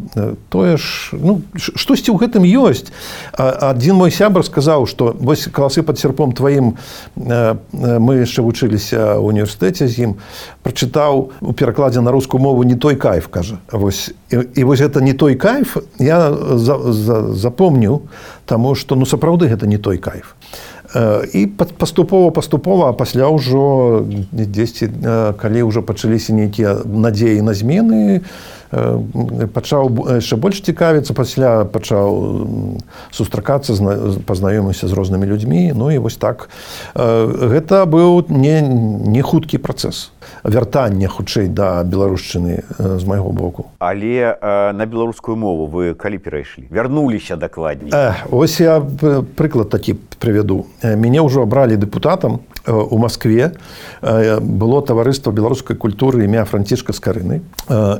тое ж, ну, штосьці ў гэтым ёсць. Адзін мой сябар сказаў, што вось «Каласы пад серпом тваім», мы яшчэ вучыліся ў універсітэце з ім, прачытаў у перакладзе на рускую мову «Не той кайф», кажа. Вось, і, і вось гэта «Не той кайф» я за, за, запомніў, таму што, ну, сапраўды гэта не той кайф. І паступова-паступова, а пасля ўжо дзесьці, калі ўжо пачаліся нейкія надзеі на змены, пачаў яшчэ больш цікавіцца, пасля пачаў сустракацца, пазнаёміўся з рознымі людзьмі. Ну і вось так. Гэта быў не, не хуткі працэс вяртання хутчэй да беларушчыны з майго боку. Але э, на беларускую мову вы калі перайшлі? Вярнуліся дакладней? Э, ось я прыклад такі прывяду. Мяне ўжо абралі дэпутатам у Маскве. Было таварыства беларускай культуры імя Францішка Скарыны.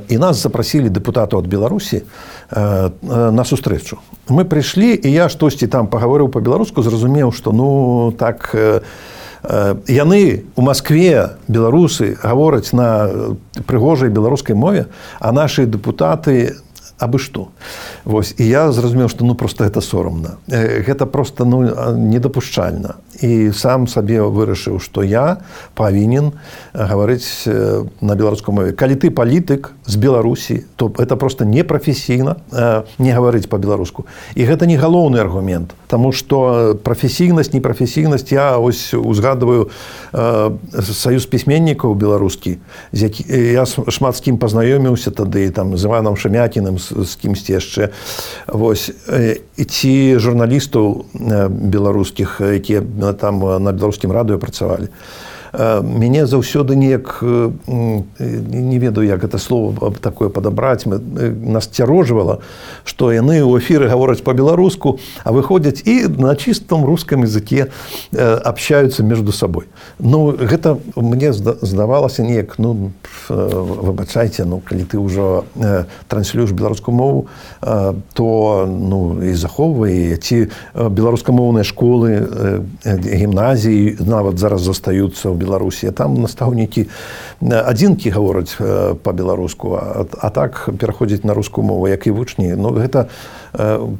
І нас запрасілі дэпутатаў ад Беларусі на сустрэчу. Мы прыйшлі, і я штосьці там пагаварыў па-беларуску, зразумеў, што, ну, так, яны у Маскве, беларусы, гавораць на прыгожай беларускай мове, а нашы дэпутаты абы што. Вось, і я зразумеў, што ну проста гэта сорамна. Гэта проста ну, недапушчальна. І сам сабе вырашыў, што я павінен гаварыць на беларускай мове. Калі ты палітык з Беларусі, то это проста непрафесійна не гаварыць па-беларуску. І гэта не галоўны аргумент, таму што прафесійнасць, непрафесійнасць, я ось узгадываю саюз пісьменнікаў беларускі, з які я шмат з кім пазнаёміўся тады, там, з Іванам Шамякіным, з, з кімсьці яшчэ. Вось. І ці журналістаў беларускіх, якія там на беларускім радыё працавалі. Мяне заўсёды неяк, не ведаю, як гэта слово такое падабраць, нас цярожвала, што яны ў эфіры гавораць па-беларуску, а выходзяць і на чыстым рускім языке абщаюцца між сабой. Ну, гэта мне здавалася неяк, ну, выбачайце, ну, калі ты ўжо транслюеш беларускую мову, то, ну, і захоўвай, ці беларускамоўныя школы, гімназіі нават зараз застаюцца ў Беларусі. Там настаўнікі адзінкі гавораць па-беларуску, а, а так пераходзіць на рускую мову, як і вучні. Ну, гэта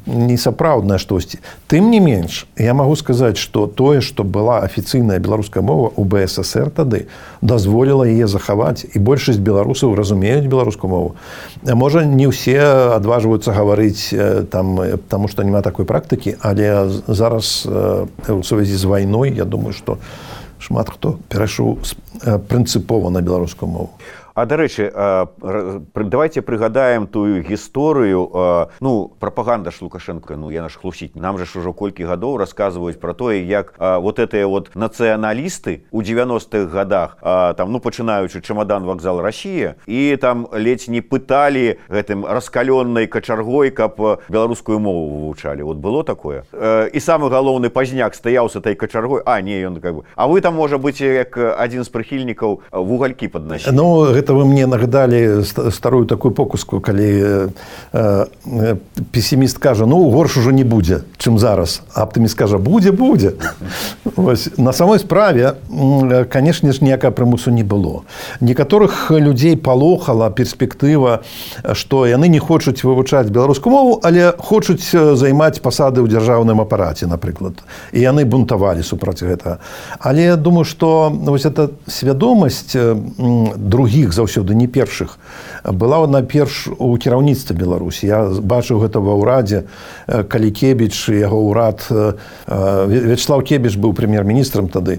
не сапраўднае штосьці. Тым не менш, я магу сказаць, што тое, што была афіцыйная беларуская мова ў бэ эс эсэр тады, дазволіла яе захаваць, і большасць беларусаў разумеюць беларускую мову. Можа, не ўсе адважваюцца гаварыць там, таму што няма такой практыкі, але зараз у сувязі з вайной, я думаю, што шмат хто перайшоў прынцыпова на беларускую мову. А, дарэчы, давайте прыгадаем тую гісторыю, ну, прапаганда ж Лукашенко, ну, яна ж хлусіць. Нам же ж ужо колькі гадоў расказваюць пра тое, як вот гэтыя вот нацыяналісты ў дзевяностых гадах, там, ну, пачынаючы чамадан вакзал Расія, і там ледзь не пыталі гэтым раскалённай качаргой, каб беларускую мову вывучалі. Вот было такое? І самы галоўны пазняк стаяў с этой качаргой, а, не, ён как бы... А вы там, можа быць, як адзін з прыхільнікаў, вугалькі паднасілі. Ну, гэта вы мне нагадалі старую такую покуску, калі э, песіміст кажа, ну, горш ужо не будзе, чым зараз. А аптыміст кажа, будзе, будзе. Вось. На самой справе, канешне ж, ніякага прымусу не было. Некаторых людзей палохала перспектыва, што яны не хочуць вывучаць беларускую мову, але хочуць займаць пасады ў дзяржаўным апараце, напрыклад. І яны бунтавалі супраць гэтага. Але я думаю, што вось эта свядомасць другіх заўсёды, не першых, была найперш у кіраўніцтве Беларусі. Я бачыў гэта ва ўрадзе, калі Кебіч, яго ўрад, Вячеслав Кебіч быў прэм'ер-міністрам тады,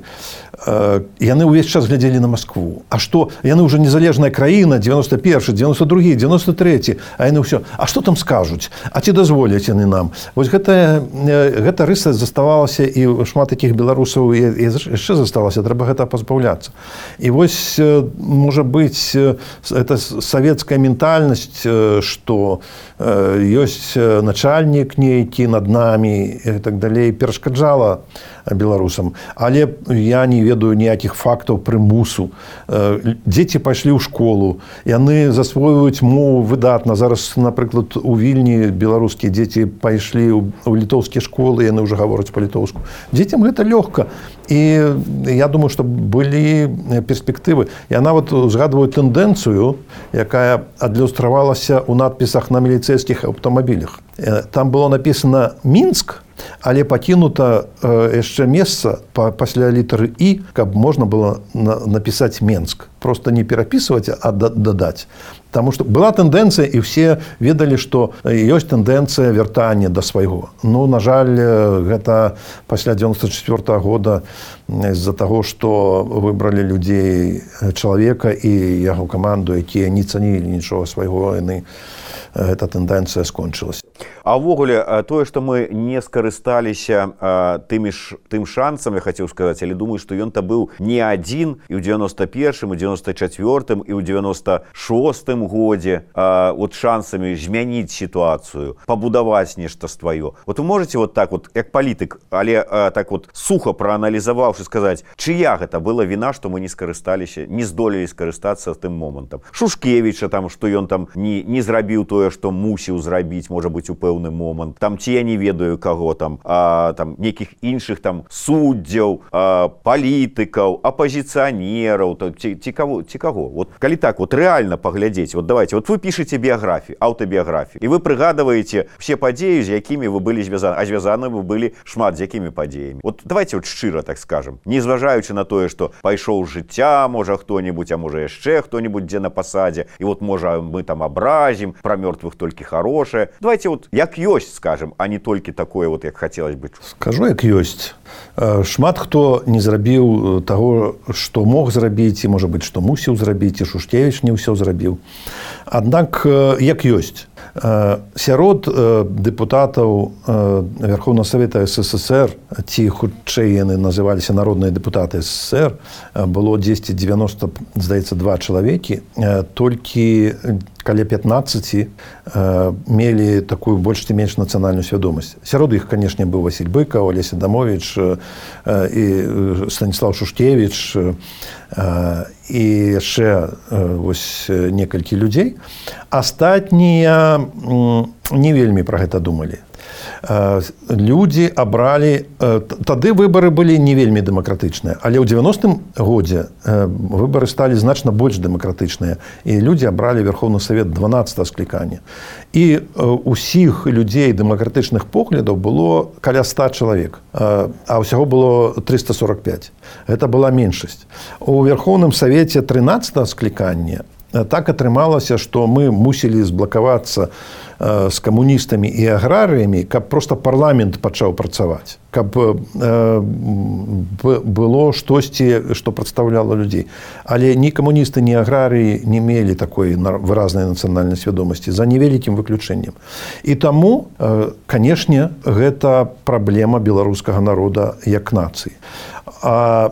яны ўвесь час глядзелі на Маскву. А што? Яны ўжо незалежная краіна, дзевяносто першы, дзевяносто другі, дзевяносто трэці, а яны ўсё. А што там скажуць? А ці дазволяць яны нам? Вось гэта, гэта рыса заставалася, і шмат такіх беларусаў яшчэ засталася, трэба гэта пазбаўляцца. І вось, можа быць, это савецкая ментальнасць, што ёсць начальнік нейкі над намі і так далей, перашкаджала беларусам. Але я не ведаю ніякіх фактаў прымусу. Дзеці пайшлі ў школу, яны засвойваюць мову выдатна. Зараз, напрыклад, у Вільні беларускія дзеці пайшлі ў літоўскія школы, яны ўжо гавораць па-літоўску. Дзецям гэта лёгка. І я думаю, што былі перспектывы. Я нават узгадваю тэндэнцыю, якая адлюстравалася ў надпісах на міліцэйскіх аўтамабілях. Там было напісана «Мінск», але пакінута яшчэ месца пасля літары «і», каб можна было напісаць «Менск». Просто не перапісваць, а дадаць. Таму што была тэндэнцыя, і ўсе ведалі, што ёсць тэндэнцыя вяртання да свайго. Ну, на жаль, гэта пасля дзевяносто четвёртага года з-за таго, што выбралі людзей чалавека і яго каманду, якія не цанілі нічога свайго, яны, гэта тэндэнцыя скончылася. А ўвогуле, тое, што мы не скарысталіся тымі ж, тым шансам, я хацеў сказаць, але думаю, што ён-то быў не адзін і ў дзевяносто першым, і ў дзевяносто чацвёртым, і ў дзевяносто шостым годзе вот шансамі змяніць сітуацыю, пабудаваць нешта сваё. Вот вы можаце вот так вот, як палітык, але так вот суха прааналізаваўшы сказаць, чыя гэта была віна, што мы не скарысталіся, не здолелі скарыстацца тым момантам. Шушкевіча там, што ён там не, не зрабіў тое, тое, што мусіў зрабіць, можа быць, у пэўны момант. Там ці я не ведаю каго там, а, там нейкіх іншых там суддзяў, а, палітыкаў, апазіцыянераў, ці, ці, каго, ці каго. Вот, калі так вот рэальна паглядзець, вот давайте, вот вы пішаце біяграфію, аўтабіяграфію, і вы прыгадваеце все падзеі, з якімі вы былі звязаны, а звязаны вы былі шмат з якімі падзеямі. Вот давайте вот шчыра так скажем, не зважаючы на тое, што пайшоў з жыцця, можа хто-небудзь, а можа яшчэ хто-небудзь дзе на пасадзе, і вот можа мы там абразім, пра мёртвых толькі хорошае. Давайте вот як ёсць скажем, а не толькі такое вот, як хацелось бы. Скажу, як ёсць. Шмат хто не зрабіў таго, што мог зрабіць, і можа быць, што мусіў зрабіць, і Шушкевіч не ўсё зрабіў. Аднак як ёсць. Сярод дэпутатаў Верховного Совета СССР, ці хутчэй яны называліся народныя дэпутаты СССР, было дзесьці дзевяноста, здаецца, два чалавекі, толькі каля пятнаццаці мелі такую больш ці менш нацыянальную свядомасць. Сярод іх, канешне, быў Васіль Быкаў, Алеся Дамовіч і Станіслав Шушкевіч і яшчэ вось некалькі людзей. Астатнія не вельмі пра гэта думалі. Людзі абралі... Тады выбары былі не вельмі дэмакратычныя, але ў дзевяностым годзе выбары сталі значна больш дэмакратычныя, і людзі абралі Верховны Савет дванаццатага склікання. І ўсіх людзей дэмакратычных поглядаў было каля ста чалавек, а ўсяго было трыста сорок пяць. Гэта была меншасць. У Верховным Савеце трынаццатага склікання так атрымалася, што мы мусілі зблакавацца з камуністамі і аграрыямі, каб проста парламент пачаў працаваць, каб было штосьці, што прадстаўляла людзей. Але ні камуністы, ні аграрыі не мелі такой выразнай нацыянальнай свядомасці, за невялікім выключэннем. І таму, канешне, гэта праблема беларускага народа як нацыі. А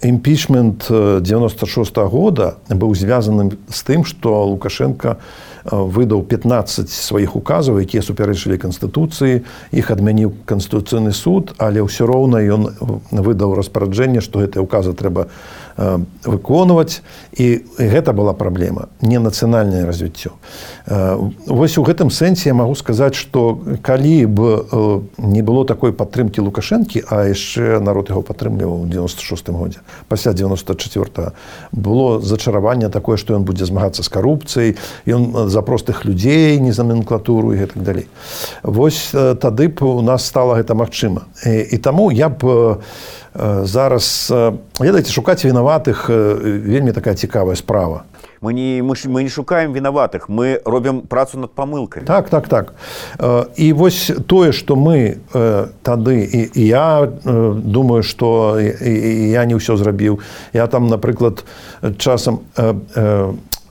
імпічмент дзевяноста шостага года быў звязаны з тым, што Лукашенко выдаў пятнаццаць сваіх указаў, якія супярэчылі Канстытуцыі, іх адмяніў Канстытуцыйны суд, але ўсё роўна ён выдаў распараджэнне, што гэтыя указы трэба выконваць, і гэта была праблема, не нацыянальнае развіццё. Вось у гэтым сэнсе я магу сказаць, што калі б не было такой падтрымкі Лукашэнкі, а яшчэ народ яго падтрымліваў у дзевяноста шостым годзе, пасля дзевяноста чацвёртага, было зачараванне такое, што ён будзе змагацца з карупцыяй, ён за простых людзей, не за номенклатуру і гэтак далей. Вось тады б у нас стала гэта магчыма. І, і таму я б зараз, ведаеце, шукаць вінаватых вельмі такая цікавая справа. Мы не, мы, мы не шукаем вінаватых, мы робім працу над памылкамі. Так, так, так. І вось тое, што мы тады, і, і я думаю, што я не ўсё зрабіў. Я там, напрыклад, часам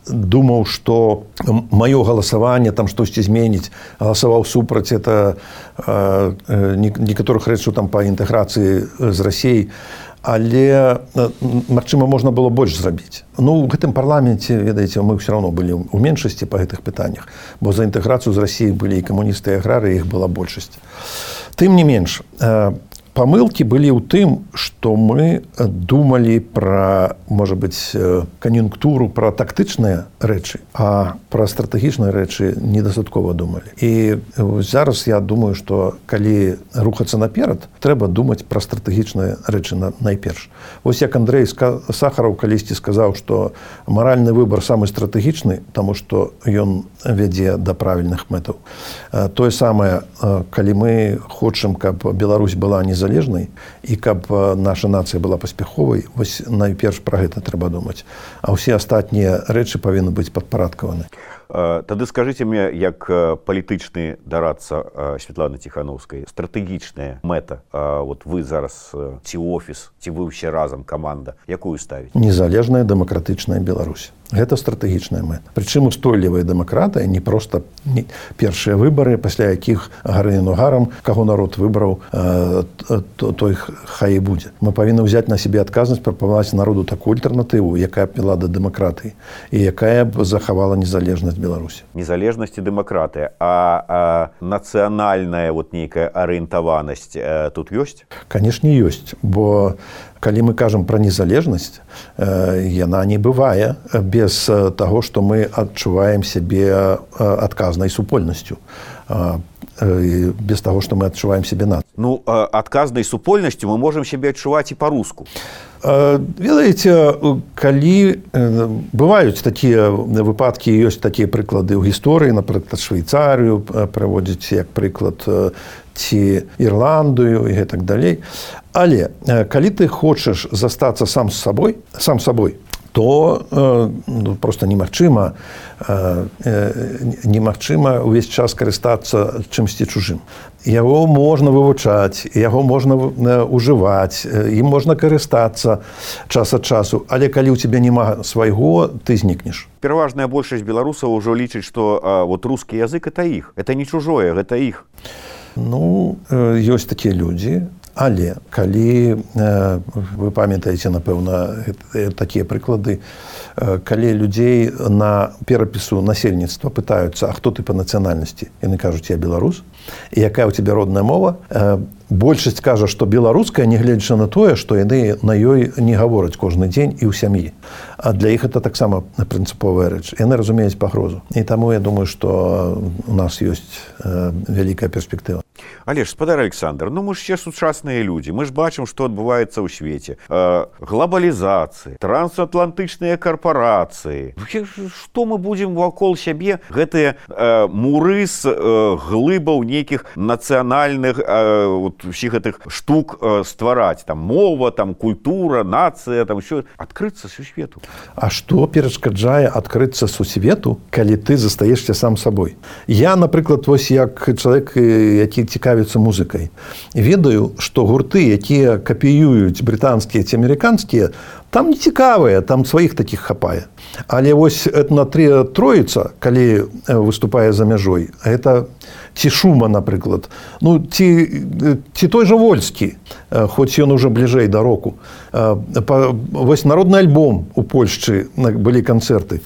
думаў, што маё галасаванне там штосьці зменіць, галасаваў супраць это некаторых рэчаў там па інтэграцыі з Расіяй, але, магчыма, можна было больш зрабіць. Ну, у гэтым парламенце, ведаеце, мы ўсё роўно былі ў меншасці па гэтых пытаннях, бо за інтэграцыю з Расіяй былі і камуністы, і аграрыі, іх была большасць. Тым не менш, памылкі былі ў тым, што мы думалі пра, можа быць, кан'юнктуру, пра тактычныя рэчы, а пра стратэгічныя рэчы недастаткова думалі. І зараз я думаю, што калі рухацца наперад, трэба думаць пра стратэгічныя рэчы найперш. Вось як Андрэй Сахараў калісьці сказаў, што маральны выбар самы стратэгічны, таму што ён вядзе да правільных мэтаў. Тое самае, калі мы хочам, каб Беларусь была незалежнай і каб наша нацыя была паспяховай, вось найперш пра гэта трэба думаць. А ўсе астатнія рэчы павінны быць падпарадкаваны. Тады скажыце мне, як палітычны дарадца Святланы Ціханаўскай, стратэгічная мэта, вот вы зараз ці офіс, ці вы ўсе разам каманда, якую ставіць? Незалежная дэмакратычная Беларусь. Гэта стратэгічная мэта. Прычым устойлівая дэмакратыя, не проста не першыя выбары, пасля якіх гарыны нугарам, каго народ выбраў, той хай і будзе. Мы павінны ўзяць на сябе адказнасць, прапанаваць народу такую альтэрнатыву, якая б вела да дэмакратыі і якая б захавала незалежнасць Беларусі. Незалежнасць і дэмакратыя, а, а нацыянальная вот нейкая арыентаванасць э, тут ёсць? Канешне, ёсць, бо калі мы кажам пра незалежнасць, э, яна не бывае без таго, што мы адчуваем сябе адказнай супольнасцю. Без таго, што мы адчуваем сябе нацыяй. Ну, адказнай супольнасцю мы можам сябе адчуваць і па-руску. Ведаеце, калі бываюць такія выпадкі, ёсць такія прыклады ў гісторыі, напрыклад, Швейцарыю праводзіць як прыклад, ці Ірландыю і гэтак далей. Але калі ты хочаш застацца сам з сабой, сам сабой, то э, просто немагчыма э, немагчыма ўвесь час карыстацца чымсьці чужым. Яго можна вывучаць, яго можна ўжываць, ім можна карыстацца час ад часу, але калі ў цябе няма свайго, ты знікнеш. Пераважная большасць беларусаў ўжо лічыць, што а, вот рускі язык это іх, это не чужое, гэта іх. Ну, э, ёсць такія людзі. Але калі вы памятаеце, напэўна, такія прыклады, калі людзей на перапісу насельніцтва пытаюцца, а хто ты па нацыянальнасці? Яны кажуць, я беларус. І якая ў цябе родная мова? Большасць кажа, што беларуская, нягледзячы на тое, што яны на ёй не гавораць кожны дзень і ў сям'і. А для іх это таксама прынцыповая рэч. Яны разумеюць пагрозу. І таму я думаю, што у нас ёсць вялікая перспектыва. Але ж, спадар Александр, ну мы ж ще сучасныя людзі. Мы ж бачым, што адбываецца ў свеце. Э, глобалізацыя, трансатлантычныя карпорацыі. Што мы будзем вакол сябе гэтыя э, муры з э, глыбаў нейкіх нацыянальных э, вот, усіх гэтых штук э, ствараць. Там мова, там культура, нацыя, там ўсё. Адкрыцца сусвету. А што перашкаджае адкрыцца сусвету, калі ты застаешся сам сабой? Я, напрыклад, вось як чалавек, які цікавіцца музыкай. Ведаю, што гурты, якія капіююць брытанскія ці амерыканскія, там не цікавыя, там сваіх такіх хапае. Але вось этна троіца, калі выступае за мяжой, гэта ці Шума, напрыклад, ну, ці, ці той жа Вольскі, хоць ён уже бліжэй да року. Вось народны альбом у Польшчы былі канцэрты.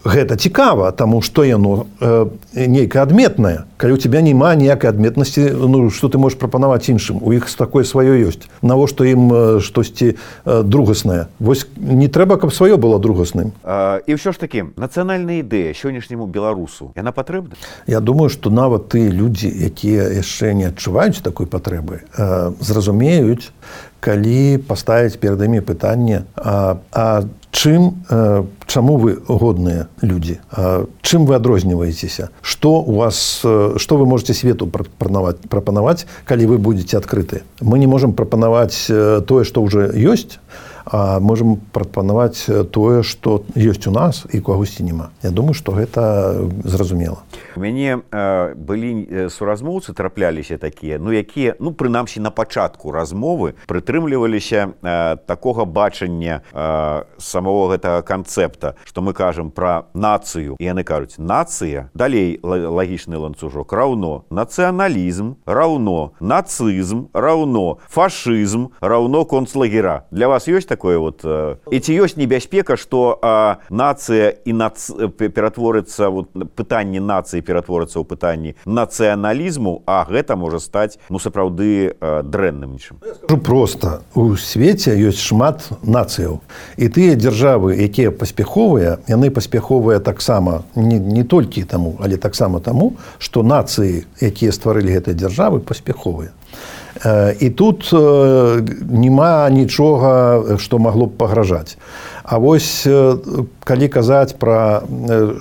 Гэта цікава, таму што яно э, нейкае адметнае. Калі ў цябе няма ніякай адметнасці, ну, што ты можаш прапанаваць іншым? У іх такое сваё ёсць. Навошта ім э, штосьці э, другаснае? Вось не трэба, каб сваё было другасным. А, і ўсё ж такі, нацыянальная ідэя сённяшняму беларусу, яна патрэбна? Я думаю, што нават тыя людзі, якія яшчэ не адчуваюць такой патрэбы, э, зразумеюць, калі паставіць перад імі пытанне, а, а чым, э, чаму вы годныя людзі? А, чым вы адрозніваецеся? Што у вас, э, што вы можете свету прапанаваць, прапанаваць, калі вы будете адкрыты? Мы не можам прапанаваць э, тое, што ўжо ёсць, а можам прапанаваць тое, што ёсць у нас і кагосьці няма. Я думаю, што гэта зразумела. У мяне э, былі суразмоўцы, трапляліся такія, ну якія, ну прынамсі на пачатку размовы прытрымліваліся э, такога бачання э, самого гэтага канцэпта, што мы кажам пра нацыю, і яны кажуць, нацыя, далей лагічны ланцужок, раўно нацыяналізм, раўно нацызм, раўно фашызм, раўно концлагера. Для вас ёсць такое вот? Э, і ці ёсць небяспека, што э, нацыя і нац... ператворыцца, вот, пытанне нацыі ператворыцца ў пытанні нацыяналізму, а гэта можа стаць, ну, сапраўды э, дрэнным нечым. Скажу проста, у свеце ёсць шмат нацыяў. І тыя дзяржавы, якія паспяховыя, яны паспяховыя таксама, не, не толькі таму, але таксама таму, што нацыі, якія стварылі гэтыя дзяржавы, паспяховыя. І тут няма нічога, што магло б пагражаць. А вось калі казаць пра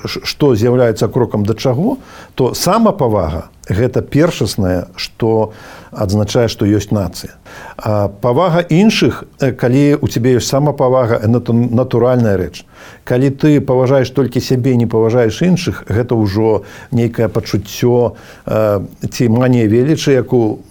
што з'яўляецца крокам да чаго, то самапавага гэта першаснае, што адзначае, што ёсць нацыя. А павага іншых, калі у цябе ёсць самапавага, гэта натуральная рэч. Калі ты паважаеш толькі сябе, не паважаеш іншых, гэта ўжо нейкае пачуццё ці манія велічы, як у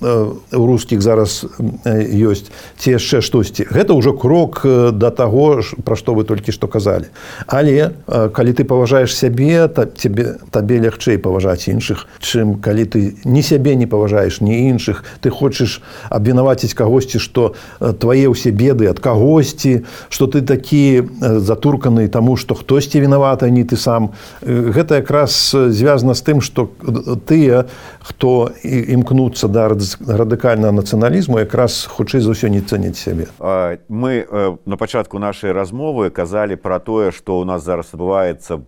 рускіх зараз ёсць, ці яшчэ штосьці. Гэта ўжо крок да таго, пра што вы толькі што казалі. Але калі ты паважаеш сябе, табе, табе лягчэй паважаць іншых, чым калі калі ты ні сябе не паважаеш, ні іншых, ты хочаш абвінаваціць кагосьці, што твае ўсе беды ад кагосьці, што ты такі затурканы таму, што хтосьці вінаваты, а не ты сам. Гэта якраз звязана з тым, што тыя, хто імкнуцца да радыкальнага нацыяналізму, якраз хутчэй за ўсё не цэняць сябе. Мы на пачатку нашай размовы казалі пра тое, што ў нас зараз адбываецца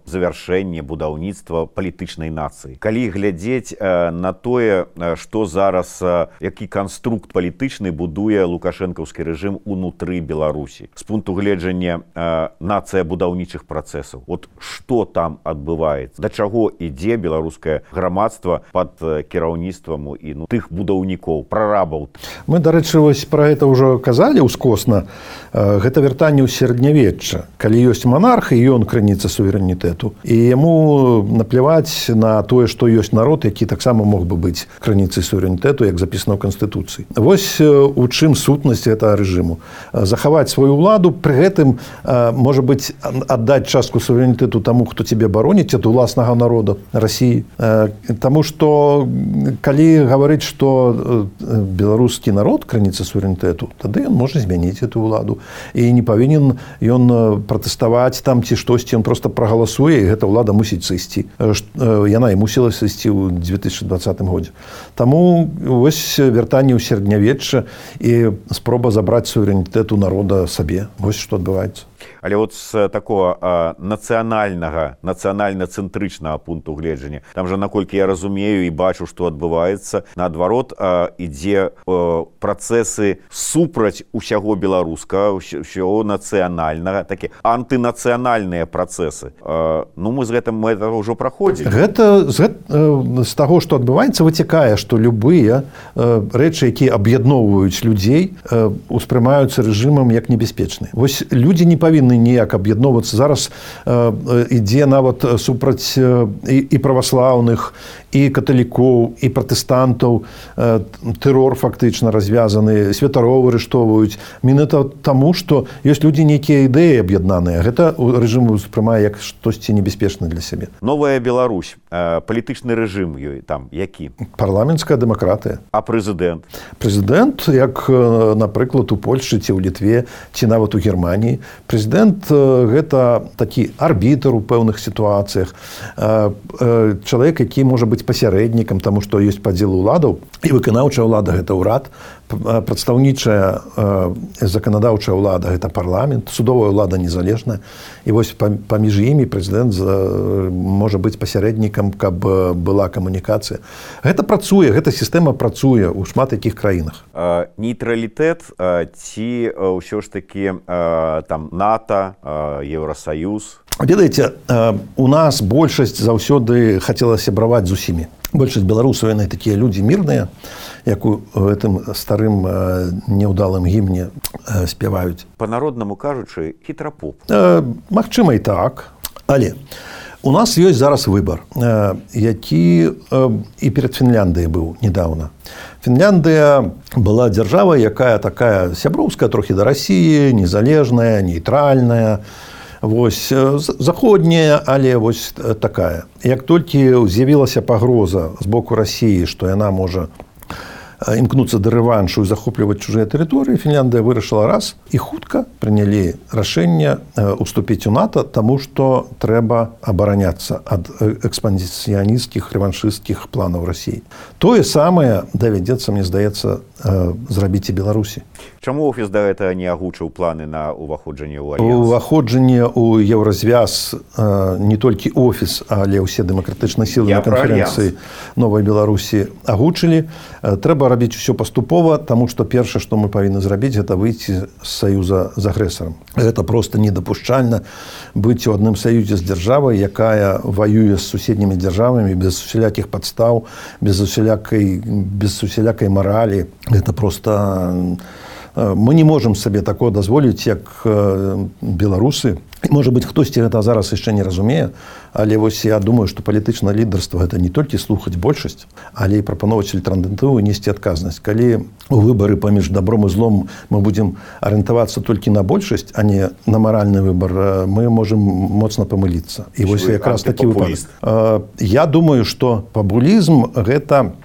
завяршэнне будаўніцтва палітычнай нацыі. Калі глядзець на тое, што зараз, які канструкт палітычны будуе лукашэнкаўскі рэжым унутры Беларусі. З пункту гледжання нацыя будаўнічых працэсаў. От што там адбываецца? Да чаго ідзе беларускае грамадства пад кіраўніцтвам і ну, тых будаўнікоў, прарабаў? Мы, дарэчы, вось пра гэта ўжо казалі ўскосна. Гэта вяртанне ў сярэднявечча. Калі ёсць манарх, і ён крыніца суверэнітэту. І яму напляваць на тое, што ёсць народ, які таксама мог бы быць крыніцай суверэнітэту, як запісана ў Канстытуцыі. Вось у чым сутнасць гэтага рэжыму. Захаваць сваю ўладу, пры гэтым, можа быць, аддаць частку суверэнітэту таму, хто цябе бароніць ад уласнага народа Расіі. Таму што, калі гаварыць, што беларускі народ крыніца суверэнітэту, тады ён можа змяніць эту ўладу. І не павінен ён пратэставаць там ці штосьці, ён проста прагаласуе, і гэта ўлада мусіць сысці. Яна і мусіла сысці ў две тысячы дваццатым годзе. Таму вось вяртанне ў сярэднявечча і спроба забраць суверэнітэт у народа сабе. Вось што адбываецца. Але от з такого а, нацыянальнага, нацыянальна-цэнтрычнага пункту гледжання, там жа, наколькі я разумею і бачу, што адбываецца, наадварот, а, ідзе а, працэсы супраць усяго беларускага, усяго нацыянальнага, такі антынацыянальныя працэсы. А, ну, мы з гэтым мы гэта ўжо праходзілі. Гэта з, з таго, што адбываецца, вытякае, што любыя рэчы, якія аб'ядноўваюць людзей, успрымаюцца рэжымам як небяспечныя. Вось людзі не павінны ніяк аб'ядноўвацца. Зараз э, ідзе нават супраць э, і, і праваслаўных, і каталікоў, і пратэстантаў. Э, тэрор фактычна развязаны, святароў арыштоўваюць. Менавіта таму, што ёсць людзі нейкія ідэі аб'яднаныя. Гэта рэжым успрымае як штосьці небяспечнае для сябе. Новая Беларусь, э, палітычны рэжым ёй там які? Парламенцкая дэмакратыя. А прэзідэнт? Прэзідэнт, як, напрыклад, у Польшчы ці ў Літве, ці нават у Германіі. Прэзідэнт гэта такі арбітр у пэўных сітуацыях, чалавек, які можа быць пасярэднікам, таму што ёсць падзел уладаў, і выканаўчая ўлада гэта ўрад, прадстаўнічая заканадаўчая ўлада гэта парламент, судовая ўлада незалежная, і вось паміж імі прэзідэнт можа быць пасярэднікам, каб была камунікацыя. Гэта працуе, гэта сістэма працуе ў шмат якіх краінах. Нейтралітэт ці ўсё ж такі там НАТО, Еўрасаюз? Ведаеце, у нас большасць заўсёды хацела сябраваць з усімі. Большасць беларусаў, яны такія людзі мірныя, як у гэтым старым няўдалым гімне спяваюць. Па-народнаму кажучы, хітрапоп. Магчыма і так, але у нас ёсць зараз выбар, які і перад Фінляндыяй быў недавно. Фінляндыя была дзяржава, якая такая сяброўская трохі да Расіі, незалежная, нейтральная, вось заходняя, але вось такая. Як толькі з'явілася пагроза з боку Расіі, што яна можа імкнуцца да рэваншу і захопліваць чужыя тэрыторыі, Фінляндыя вырашыла раз і хутка прынялі рашэнне уступіць у НАТО, таму што трэба абараняцца ад экспансіянісцкіх, рэваншысцкіх планаў Расіі. Тое самае давядзецца, мне здаецца, зрабіць і Беларусі. Чаму офіс да гэтага не агучыў планы на ўваходжанне ў альянс? Уваходжанне ў Еўразвяз не толькі офіс, але ўсе дэмакратычныя сілы на канферэнцыі Новай Беларусі агучылі. Трэба рабіць усё паступова, таму што першае, што мы павінны зрабіць, гэта выйти з саюза з агрэсарам. Гэта проста недапушчальна быць у адным саюзе з дзяржавай, якая ваюе з суседнімі дзяржавамі без усялякіх падстаў, без усялякай, без усялякай маралі. Гэта проста... Мы не можам сабе такое дазволіць, як беларусы, Можа быць, хтосьці гэта зараз яшчэ не разумее, але вось я думаю, што палітычнае лідарства гэта не толькі слухаць большасць, але і прапаноўваць альтэрнатыву і несці адказнасць. Калі у выбары паміж добром і злом мы будзем арыентавацца толькі на большасць, а не на маральны выбар, мы можам моцна памыліцца. І вось якраз такі выпадак. Я думаю, што папулізм гэта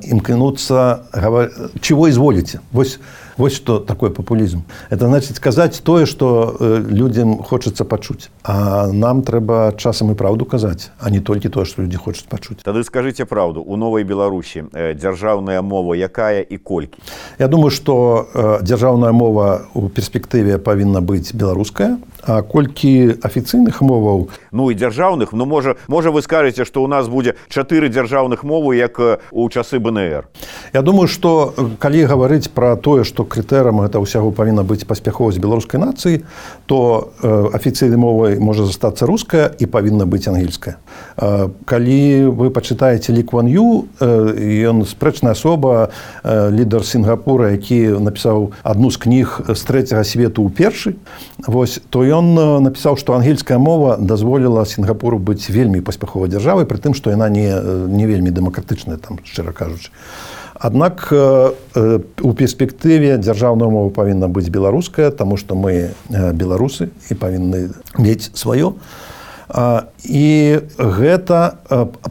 імкнуцца чего изволите. Вось Вот что такое популизм. Это значит сказать то, что людям хочется почуть. А нам треба часом и правду казать, а не только то, что люди хочут почуть. Тогда скажите правду. У Новой Беларуси державная мова якая и кольки? Я думаю, что державная мова у перспективе повинна быть белорусская, а кольки официальных моваў... Ну и державных, ну може, може вы скажете, что у нас будет четыре державных мовы, як у часы бэ эн эр? Я думаю, что калі говорить про то, что крытэрам гэта ўсяго павінна быць паспяховасць беларускай нацыі, то э, афіцыйнай мовай можа застацца руская і павінна быць ангельская. Э, калі вы пачытаеце Лі Куан Ю, э, ён спрэчная асоба, э, лідар Сінгапура, які напісаў адну з кніг з трэцяга свету ў першы, вось, то ён напісаў, што ангельская мова дазволіла Сінгапуру быць вельмі паспяховай дзяржавай, пры тым, што яна не, не вельмі дэмакратычная, там, шчыра кажучы. Аднак у перспектыве дзяржаўная мова павінна быць беларуская, таму што мы беларусы і павінны мець сваё. І гэта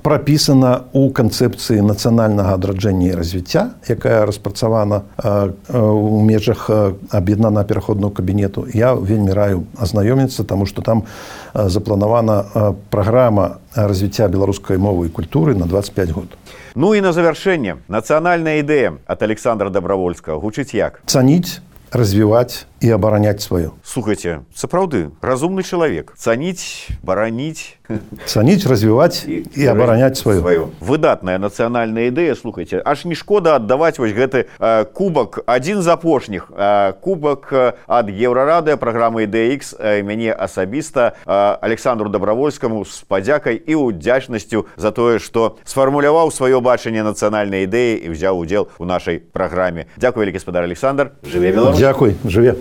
прапісана ў канцэпцыі нацыянальнага адраджэння і развіцця, якая распрацавана ў межах аб'яднанага пераходнага кабінету. Я вельмі раю азнаёміцца, таму што там запланавана праграма развіцця беларускай мовы і культуры на двадцать пять год. Ну и на завершение. Национальная идея от Александра Добровольского. Гучыць як? Цаніць, развіваць і абараняць сваё. Слухайте, сапраўды, разумны чалавек. Цаніць, бараніць... Цаніць, развіваць і, і абараняць сваё. сваё. Выдатная нацыянальная ідэя, слухайте. Аж не шкода аддаваць вось гэты э, кубак, адзін з апошніх. Э, кубак э, ад Еўрарады, праграмы Ідэя Ікс, э, мяне асабіста, э, Александру Добровольскому з падзякай і удзячнасцю за тое, што сфармуляваў сваё бачанне нацыянальнай ідэі і ўзяў удзел у нашай праграме. Дзякуй, вялікі гаспадар Александр. Жыве Беларусь. Дзякуй, жыве.